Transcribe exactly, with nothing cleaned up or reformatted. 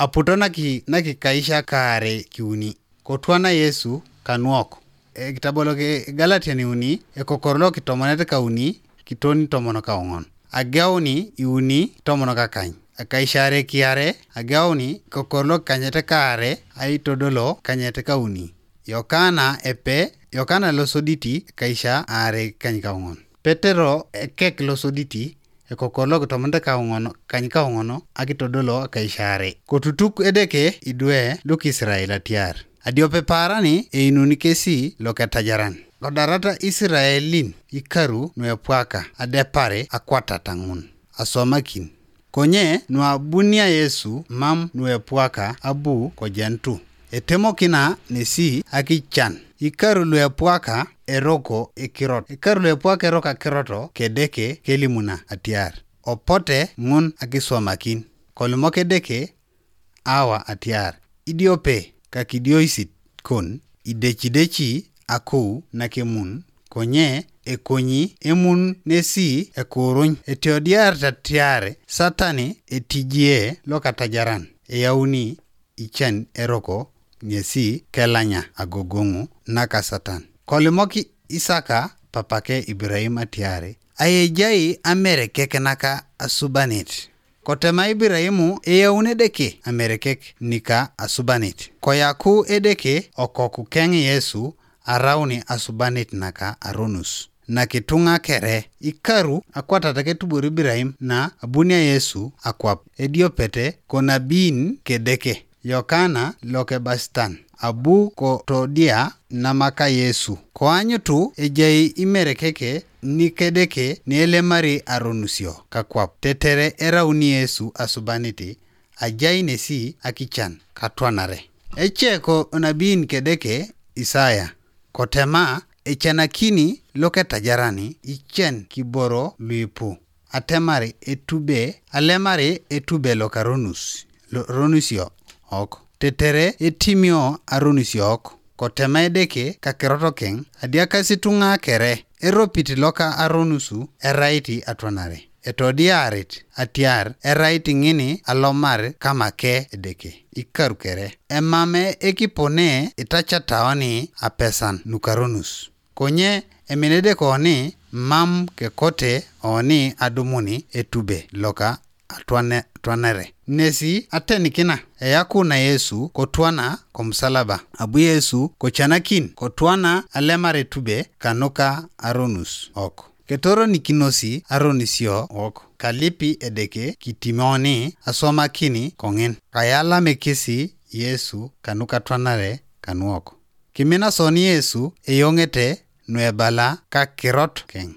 Aputo naki naki kaisha kaare kiuni. Kotwana Yesu kanuok. Ekitabolo ke Galatian uni ekokor lo kitomonet kauni kitoni tomon kaong'on. Ageuni iuni tomon kakany. Akaishare kiare ageuni kokor lo kanyete kaare aitodolo kanyete kauni. Yokana epe Yokana losoditi kaisha aare kany kaong'on. Petero ekek losoditi ekokor lo kitomonete kaong'ono kany kaong'ono akitodolo kaisha aare. Kotutuk Edeke idwe lukisirael atiar adiope paarani einuni kesi loketajaran. Kodarata Isiraelin ikaru nuepwaka adepare akwatata ŋun aswamakin. Konye nuabunia Yesu mam nuepwaka abu kojentu. Etemokina nesi akichan. Ikaru luepwaka eroko ekirot. Ikaru luepwaka eroko akiroto kedeke kelimuna atiar, opote ŋun akiswamakin. Kolimok Edeke, awa atiar, idiope kakidioisit kon, idecideci akou nakemun, konye ekonyi emun nesi ekuruny. Etiodiar tatiar Satani etijie lokatajaran eyauni icen eroko ŋesi kelanya agogoŋu naka Satan. Kolimok Isaka papake Ibrahim atiar, ayejai amerekek naka asubanit. Kotema Ibrahim eyaun Edeke amerekek nika asubanit. Koyaku Edeke okoku keŋ Yesu arauni asubanit naka aronus. Nakituŋa kere ikaru akwatat ketubor Ibrahim na abunia Yesu akwap ediopete konabiin kedeke. Yokana lokebasitan abu kotodia namaka Yesu. Koanyutu ejai imerekeke nikedeke nielemari aronusio kakwap tetere erauni Yesu asubaniti ajai nesi akichan katwanare. Eceko nabiin kedeke Isaya kotema, ecanakini loketajarani icen kiboro luipu atemar etube alemar etube lokaronus ronusio ok tetere etimio aronusio ok. Kotema Edeke kakirot keŋ adiakasi tuŋa kere eropit loka aronusu erait atwanare. Etodiarit atiar erait ŋini alomar kamake Edeke ikar kere emam ekipone itacataoni apesan nukaronus. Konye eminedek oni mam kekote oni adumuni etube loka atwanere. Nesi atenikina eyaku na Yesu kotwana komusalaba. Abu Yesu kocanakin kotwana alemar etube kanuka aronus ok. Ketoronikinosi aronisio ok kalipi Edeke kitimoni aswamakini koŋin. Kayalamekisi Yesu kanuka atwanare kanuok. Kimina soni Yesu eyoŋete nuebala kakirot keŋ.